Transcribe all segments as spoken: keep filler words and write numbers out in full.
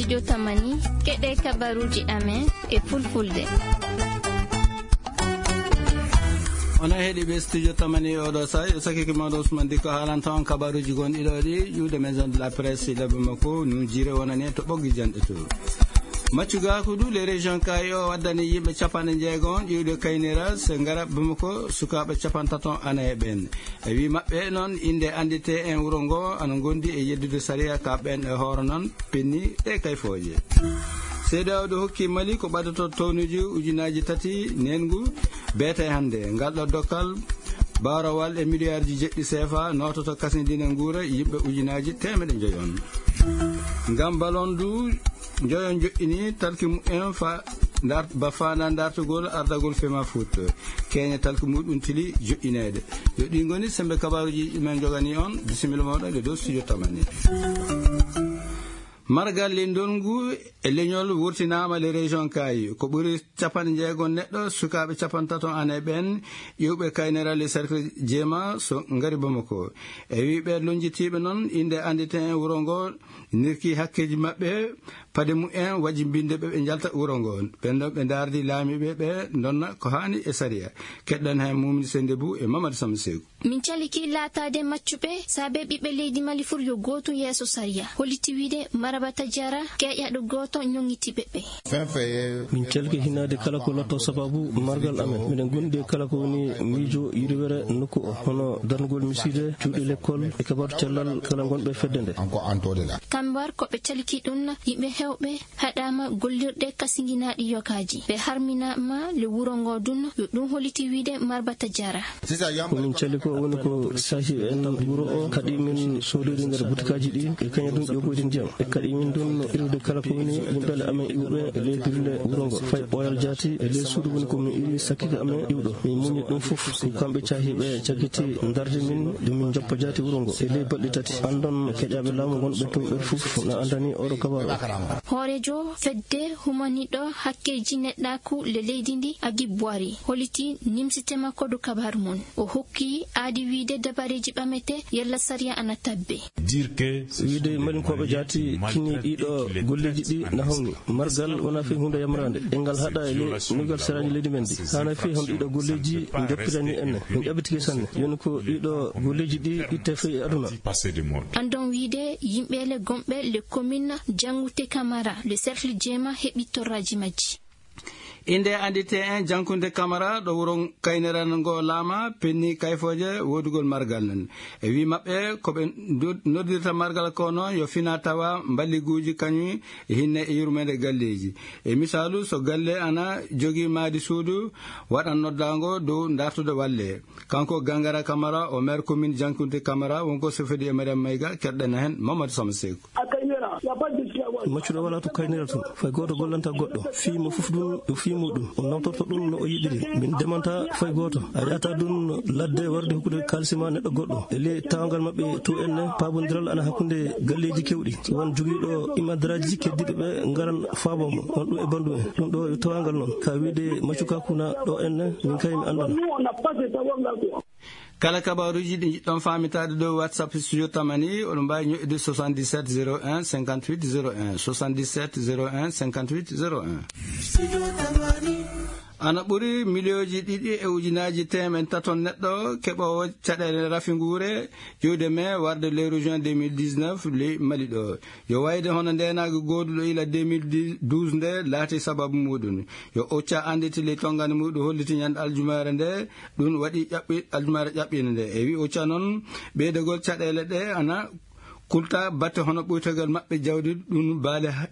Yo tamani, keɗe kabaruji amen e fulfulde. Ona heɗi ɓe studio tamani oɗo sa, yo sakiki mawɗo Ousmane Diko haalanta on kabaruji gonɗi ɗo ɗi, ƴuwde maison de la presse, labbi makko, nujire wonani en to ɓoggi janɗe to. Maccugaku du, les régions kayi o waddani yimɓe capanɗe jeegom ƴiwde kaynira, so ngara Bamako, sukaaɓe capantato ana e ɓen. E wi maɓɓe noon, innde anndite en wuro ngo, ana ngondi e yeddude sariya ka ɓen e hooro noon, penni ɗe kayfooje. Seede'awo hokki Mali ko ɓadato townuji ujunaaji tati neengu beete hannde. Ngal ɗo dokkal, baarawal e miliyarji jeɗɗi seefa, noototo kasindine nguura yimɓe ujunaaji teemedde njoyon. Ngam balon du, njoyon joɗɗini talki mumen fa ndar-, ba faanda dartugol ardagol Fema Foot. Keenya talki muɗum tili joɗɗineede. Yo ɗi ngoni sembe kabaruji men jogani on. Bisimilla moɗon e dow studio tamani. Margal leydi ndongu e leñol wurtinaama le région Kayi. Ko ɓuri capanɗe jeegom neɗɗo, sukaaɓe capantato ana e ɓen, ƴiwɓe kaynera le cercle Jeema so ngari Bamako. E wi ɓe lonjitiiɓe noon, innde anndite en wuro ngo, nirki hakkeeji maɓɓe, pade mumen wajibinde ɓe, ɓe njalta wuro ngo. Ɓen ɗon ɓe ndaardi laamiiɓe ɓe ndonna ko haani e sariya. Keɗɗon heen Mumini Sennde Buu e Mamadou Samba Seeku. Min caliki laataade maccuɓe, saabe ɓiɓɓe leydi Mali fur yo gootum yeeso sariya. Holliti wiide Maraba Tadiara, keeƴaɗo gooto ñoŋŋiti ɓeɓɓe. Min calki hinaade kala ko lotto sababu margal amen. Miɗen gondi e kala ko woni miijo yirwere nokku o, hono darnugol misiide, cuuɗi lekkol, e kabaru cellal kala gonɓe fedde nde. Kambar ko ɓe calki ɗum, yimɓe hewɓe haɗaama gollirɗe kasinginaaɗi yokaaji. Ɓe harminaama le wuro ngo dun, yo ɗum holliti wiide Marba Tadiara. Ko min cali ko woni ko sahi en wuro o, kaɗi min soodori nder butikaaji ɗi, e kaña ɗum ƴogoyde ndiyam. E kaɗi min ɗum irude kala ko woni yimɓe amen iwɓe e ley dille wuro ngo. Fay ɓooyal jaati e ley suudu woni ko min iri sakkike amen iwɗo. Min muñi ɗum fof, ko kamɓe caahiiɓe cakkiti ndarde min, ɗum min joppa jaati wuro ngo. E ley balɗe tati, andon keƴaaɓe laamu ngonɓe toon ɓen fof na andani oɗo kabaru. Hooreejo fedde humaniɗo hakkeeji neɗɗaaku le leydi ndi, Agib Boiri, holliti nimsite makko dow kabaru mum. O hokki aadi wiide dabareeji ɓamete yalla sariya ana tabbe. Wiide Malinkooɓe jaati kini ɗiɗo golleeji ɗi na hawni. Margal wona fii huunde yamraande. E ngal haɗa e le-, nuygal seraaji leydi men ndi. Haana fii hono ɗiɗo golleeji njoppitani en. Min ƴaɓɓitike sanne. Yoni ko ɗiɗo golleeji ɗi itte fii e aduna. Andon wiide yimɓe le gomɓe le commune Jangute Kamara, le cercle Jeema heɓi torraaji majji. Innde anndite en Jankunde Kamara ɗo wuro Kayneran ngo laama, penni kayfooje woodugol margal nen. E wi maɓɓe, ko ɓe ndu-, noddirta margal ko noon yo fina tawa mballiguuji kañum e hinne e yurmeende galleeji. E misaalu, so galle ana jogii maadi suudu, waɗan noddaango dow dartude walle. Kanko Gangara Kamara, o maire commune Jankunde Kamara, wonko sofidi e Mariam Mayga, keɗɗen heen Mamadou Sama Seeku. Maccuɗo walaa to Kaynira to, fay gooto gollanta goɗɗo. Fii mo fof ɗum, ɗum fii muɗum. O nawtorto ɗum no o yiɗiri. Min demanta fay gooto. A yahata ɗum ladde warde hokkude kaalisi ma neɗɗo goɗɗo. E ley tawangal maɓɓe to en ne, paabondiral ana hakkunde galleeji kewɗi. So won jogiiɗo imadaraaji keddiiɗo ɓe ngaran faabo mo. On ɗum e bandu en. Ɗum ɗo yo tawangal noon. Ka wiide maccuka kuna ɗo en ne, min kay mi anndan. Kala kabaaruuji ɗi njiɗɗon faamitaade dow WhatsApp Studio Tamani, oɗon mbaawi ñoƴƴude soixante-dix-sept zéro un cinquante-huit zéro un, soixante-dix-sept zéro un cinquante-huit zéro un. Ana ɓuri miliyooji ɗiɗi e ujunaaji teemeɗɗe tato neɗɗo keɓoowo caɗeele rafi nguure ƴiwde me warde lewru juin deux mille dix-neuf ley Mali ɗo. Yo wayde hono ndeenaagu gooduɗo ila deux mille douze nde laati sababu muɗum. Yo Ocha annditi ley tonngani muɗum holliti ñande aljumaare nde, ɗum waɗi ƴaɓɓi-, aljumaare ƴaɓɓiinde nde. E wi Ocha noon, ɓeydagol caɗeele ɗe ana kulta batte hono ɓuytagol maɓɓe jawdi, ɗum baale ha-,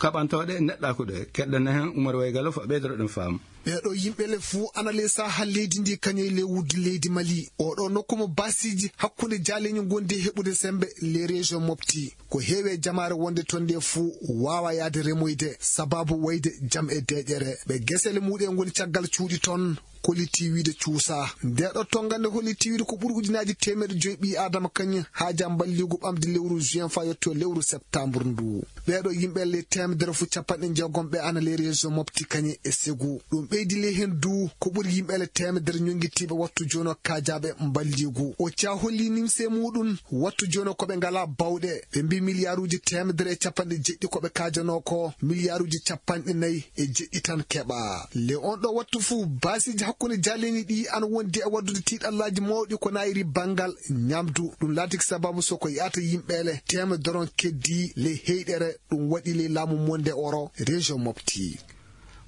kaɓantooɗe neɗɗaaku ɗe. Keɗɗen heen Umar Waygalo fa ɓeydoro ɗum faamu. Ɓeeɗo yimɓe le fuu ana ley saaha leydi ndi kañum e ley wuddi leydi Mali. Oɗo nokku mo baasiiji hakkunde jaaleeñu ngondi e heɓude sembe ley région Mopti. Ko heewi e jamaare wonde toon nde fuu waawa yahde remoyde sababu wayde jam e deeƴere. Ɓe gesele muɗum ngoni caggal cuuɗi toon, kolliti wiide cuusa. Nde ɗo tonngande holliti wiide ko ɓuri ujunaaji teemeɗɗe joyi ɓii Aadama kañum haaja mballigu ɓamde lewru juin faa yetto lewru septembre ndu. Ɓeeɗo yimɓe le teemedere fuu capanɗe jeegom ɓe ana ley région Mopti kañum e Ségou. Ɗum Ɓeydi ley heen du ko ɓuri yimɓe ele teemedere ñonngitiiɓe wattu jooni o kaajaaɓe mballiigu. O caa holli nimse muɗum wattu jooni o ko ɓe ngalaa bawɗe. Ɓe mbii miliyaaruuji teemedere e capanɗe jeɗɗi ko ɓe kaajanoo ko, miliyaaruuji capanɗe nayi e jeɗɗi tan keɓaa. Le on ɗo wattu fuu, baasiiji hakkunde jaaleni ɗi ana wondi e waddude tiiɗallaaji mawɗi ko naayiri banngal ñamdu. Ɗum laatiki sababu so ko yahata yimɓe ele teemedere on keddii ley heyɗere ɗum waɗi ley laamu monde oro région Mopti.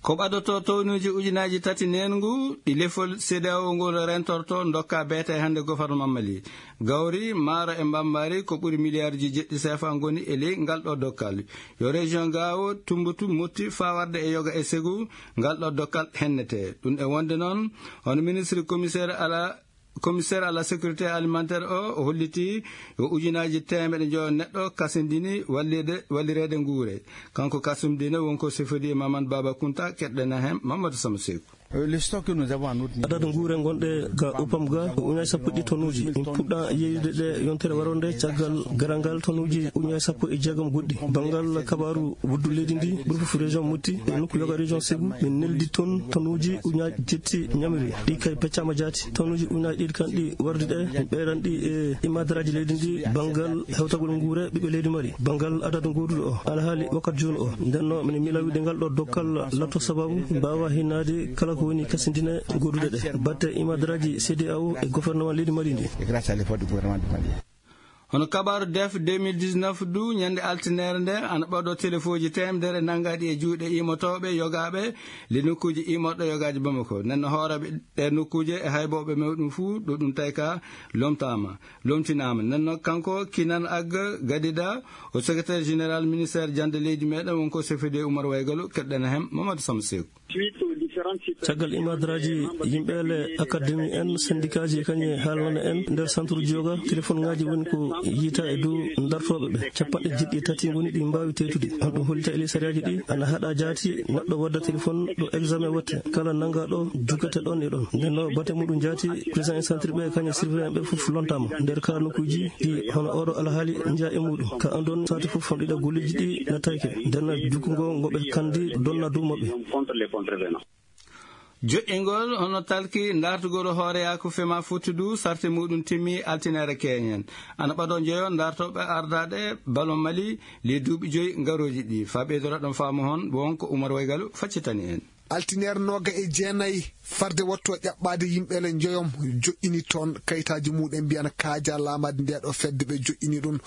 Ko ɓadoto townuuji ujunaaji tati neengu ɗi lefol C D A O ngol rentorto ndokka beete hannde gouvernement Mali. Gawri, maaro e mbambaari ko ɓuri miliyaarji jeɗɗi seefa ngoni e ley ngal ɗo dokkal. Yo région Gao, Tumbutu, Motti faa warde e yoga e segu ngal ɗo dokkal hennete. Ɗum e wonde noon, hono ministre commissaire à la, commissaire à la sécurité alimentaire o, o holliti yo ujunaaji teemeɗe njoyo neɗɗo kasindini wallirde, wallireede nguure. Kanko Kasum Dine wonko sefodi e Mamadou Baba Kunta, keɗɗen heen Mamadou Sama Seeku. Adadu nguure gonɗe ga Upam ga ko ujunaaji sappo e ɗiɗi tonuuji. In puɗɗa yeeyude ɗe yontere waroo nde caggal garal ngal tonuuji ujunaaji sappo e jeegom goɗɗi. Banngal kabaaru wuddu leydi ndi, ɓuri fof région Motti, e nokku yoga région Ségou, ɓe neldi toon tonuuji ujunaaji jetti ñamiri. Ɗi kay peccaama jaati. Tonuuji ujunaaji ɗiɗi kan ɗi wardi ɗe, min ɓeydan ɗi e imadaraaji leydi ndi, banngal hewtagol nguure ɓiɓɓe leydi Mali, banngal adadu gooduɗo o, alhaali wakkati jooni o. Nden no, minen miila wiide ngal ɗo dokkal latto sababu mbaawa hinnaade kala ko woni kasindine gooduɗe ɗe. Batte imadaraaji C D A O e gouvernement leydi Mali ndi. Hono kabaaru D E F deux mille dix-neuf du, ñande altineere nde, ana ɓaɗo telefooji teemedere nanngaɗi e juuɗe imotooɓe yogaaɓe le nokkuuji imorɗo yogaaji Bamako. Nden no hooreeɓe ɗe nokkuuje e haybooɓe mawɗum fuu, ɗo ɗum tawi ka lomtaama, lomtinaama. Nden no kanko Kinan Agga Gadida, o secrétaire général ministère jannde leydi meɗen, wonko C F D Oumar Waygalo, keɗɗen heen Mamadou Samba Seeku. Caggal imadaraaji yimɓe ele, akademi en, sendikaaji kañum e haalnana en nder centre ji yoga, téléphone ngaaji woni ko yiyta e dow dartooɓe ɓe. Capanɗe jeɗɗi e tati ngoni ɗi mbaawi teytude. On ɗum hollita e ley sariyaaji ɗi, ana haɗa jaati neɗɗo wadda téléphone ɗo examen watte. Kala nanngaɗo jugete ɗon e ɗon. Nden no bate muɗum jaati, président e centre ɓe kañum e surveillant ɓe fof lontama nder ka nokkuuji ɗi hono oɗo alhaali njeya e muɗum. Ka andon saati fof ɗiɗa golleeji ɗi nattayke. Nden no jukkungo ngo ɓe kandi donna dow maɓɓe. Joƴƴingol hono talki dartugol hooreyaaku fema fottudu sarte muɗum timmi altinaare keñen. Ana ɓado njeyo dartooɓe ardaaɗe ballon Mali ley duuɓi joyi ngarooji ɗi. Faa ɓeydora ɗon faamu hon, won ko Umar Waygalo faccitani en. Altinaare nooga e jeenayi, farde wattu o ƴaɓɓaade yimɓe ele njoyom joƴƴini toon kayitaaji muɗum mbiyana kaaja laamaade nde ɗo fedde ɓe joƴƴini ɗum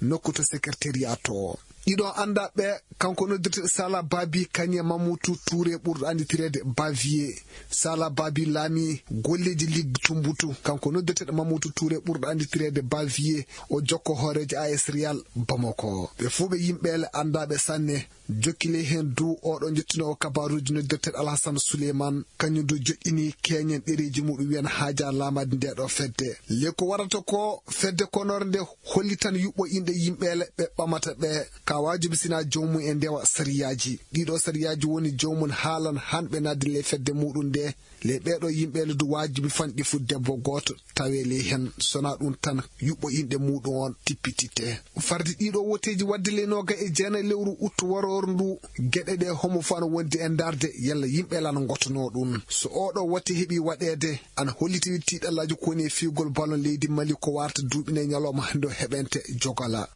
nokku to secrétariat to. Ɗiɗo anndaa ɓe, kanko noddirteeɗo Sala Babi, kañum e Mamutu Touré ɓurɗo annditireede Bavier. Sala Babi laami golleeji Ligue Tumbutu, kanko noddirteeɗo Mamutu Touré ɓurɗo annditireede Bavier, o jokko hooreejo A S Real Bamako. Ɓe fuu ɓe yimɓe ele anndaaɓe sanne. Jokki ley heen du, oɗo jottinoowo kabaaruuji noddirteeɗo Alhasan Suleyman, kañum du joƴƴini keñen ɗereeji muɗum wiyan haaja laamaade nde ɗo fedde. Le ko warata ko fedde konoore nde hollitan yuɓɓo inɗe yimɓe ele ɓe ɓamata ɓe, ka waajibi sina joomum e ndewa sariyaaji. Ɗiɗo sariyaaji woni joomum haalan hanɓe naatde ley fedde muɗum nde. Le ɓeeɗo yimɓe ele du waajibi fanɗi fu debbo gooto tawe ley heen, sona ɗum tan yuɓɓo inɗe muɗum on tippititte. Fardi ɗiɗo woteeji wadde le nooga e jeenayi lewru uttu waroor ndu, geɗe ɗe homo fof ana wondi e ndaarde yalla yimɓe ele ana ngotono ɗum. So oɗo wote heɓi waɗeede, ana hollitini tiiɗallaaji ko woni e fiigol ballon leydi Mali ko warta duuɓi nayi ñalawma hannde o heɓente jogala.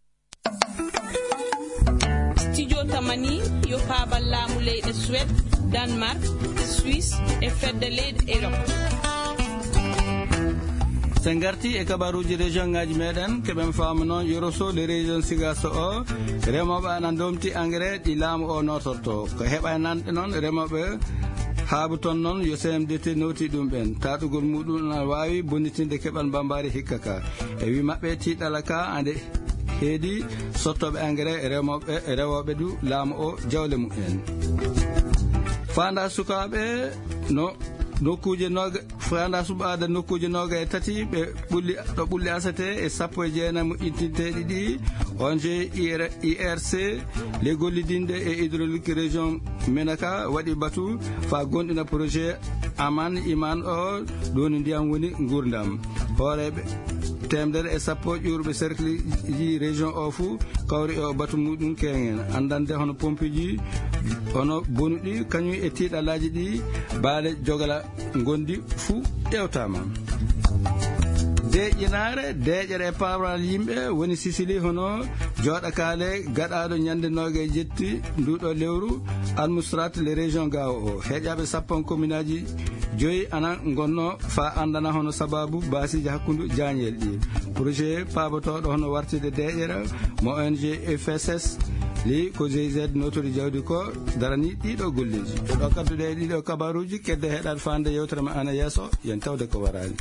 Studio Tamani yo paabal laamu leyɗe Suède, Danemark, Suisse e fedde leyɗe Europe. Sen ngarti e kabaruuji région ngaaji meɗen, keɓen faamu noon Yoro Sow le région Sigaso o, remooɓe ana ndomti engrais ɗi laamu o nootorto. Ko heɓa nanɗe noon remooɓe haabu toon noon yo C M D T nowti ɗum ɓen. Taɗugol muɗum ana waawi bonnitinde keɓal mbambaari hikka ka. E wi maɓɓe tiiɗala ka ande heedi sottooɓe engrais e remooɓe, e rewooɓe du laamu o jawle mumen. Faanda sukaaɓe no nokkuuje nooga-, faanda suɓaade nokkuuje nooga e tati ɓe ɓulli, ɗo ɓulli asete e sappo e jeenayi moƴƴintinteeɗi ɗi O N G I R, I R C, le gollidinɗe e hydraulique région Menaka waɗi batu faa gonɗina projet Aman Iman o, ɗo woni ndiyam woni nguurndam. Hooreeɓe Teemedere e sappo ƴuurɓe cercle ji région o fuu kawri e o batu muɗum keŋen. Andande hono pompeji, hono bonuɗi, kañum e tiiɗalaaji ɗi baale jogala ngondi fuu ƴewtaama. Deeƴinaare, deeƴere e pawral yimɓe woni Sicili, hono jooɗakaale gaɗaaɗo ñande noogaye jetti nduɗo lewru, Almustrate le région Gao o. Heƴaaɓe sappo e communeaji joyi ana ngonno fa andana hono sababu baasiji hakkundu jaañel ɗi. Projet paabotoɗo hono wartide deeƴere mo O N G F S S li ko G I Z notori jawdi ko darani ɗiɗo golleji. Ɗo kadduɗe e ɗiɗo kabaruji, kedde heɗaɗe fande yewtere ma ana yeeso, yen tawde ko warani.